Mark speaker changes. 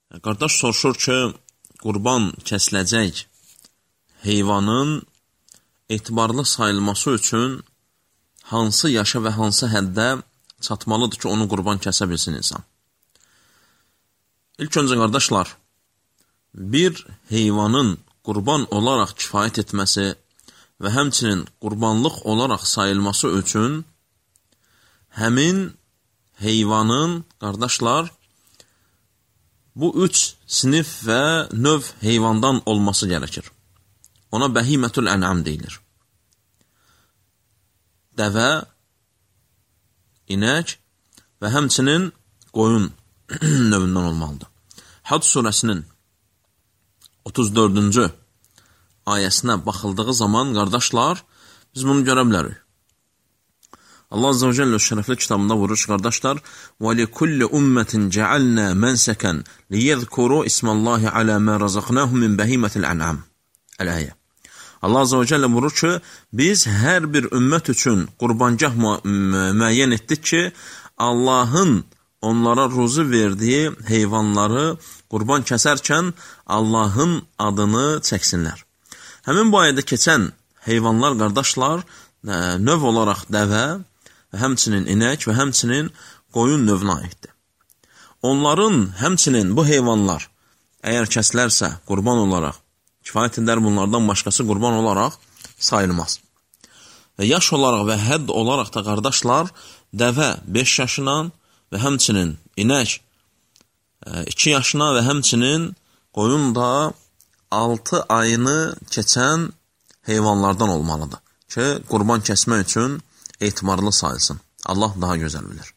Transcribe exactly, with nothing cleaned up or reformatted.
Speaker 1: Qardaş soruşur ki, qurban kəsiləcək heyvanın etibarlı sayılması üçün hansı yaşa və hansı həddə çatmalıdır ki, onu qurban kəsə bilsin insan? İlk öncə, qardaşlar, bir heyvanın qurban olaraq kifayət etməsi və həmçinin qurbanlıq olaraq sayılması üçün həmin heyvanın, qardaşlar, bu üç sinif və növ heyvandan olması gərəkir. Ona bəhimətül ən'am deyilir. Dəvə, inək və həmçinin qoyun növündən olmalıdır. Hac surəsinin otuz dördüncü ayəsinə baxıldığı zaman, qardaşlar, biz bunu görə bilərik. Allah Azze ve Celle şərəfli kitabında vurur ki, qardaşlar, وَلِكُلِّ أُمَّةٍ جَعَلْنَا مَنْسَكًا لِيَذْكُرُوا اسْمَ اللّٰهِ عَلَى مَا رَزَقْنَاهُمْ مِنْ بَهِيمَةِ الْأَنْعَامِ Əl-əyə. Allah Azze ve Celle vurur ki, biz hər bir ümmət üçün qurbangah müəyyən etdik ki, Allahın onlara ruzu verdiyi heyvanları qurban kəsərkən Allahın adını çəksinlər. Həmin bu ayədə keçən heyvanlar, qardaşlar, növ olaraq dəvə, həmçinin inək və həmçinin qoyun növünə aiddir. Onların, həmçinin bu heyvanlar, əgər kəsilərsə qurban olaraq, kifayət edər bunlardan başqası qurban olaraq sayılmaz. Və yaş olaraq və hədd olaraq da, qardaşlar, dəvə beş yaşına və həmçinin inək iki yaşına və həmçinin qoyun da altı ayını keçən heyvanlardan olmalıdır ki, qurban kəsmək üçün etibarlı sayılsın. Allah daha gözəl bilir.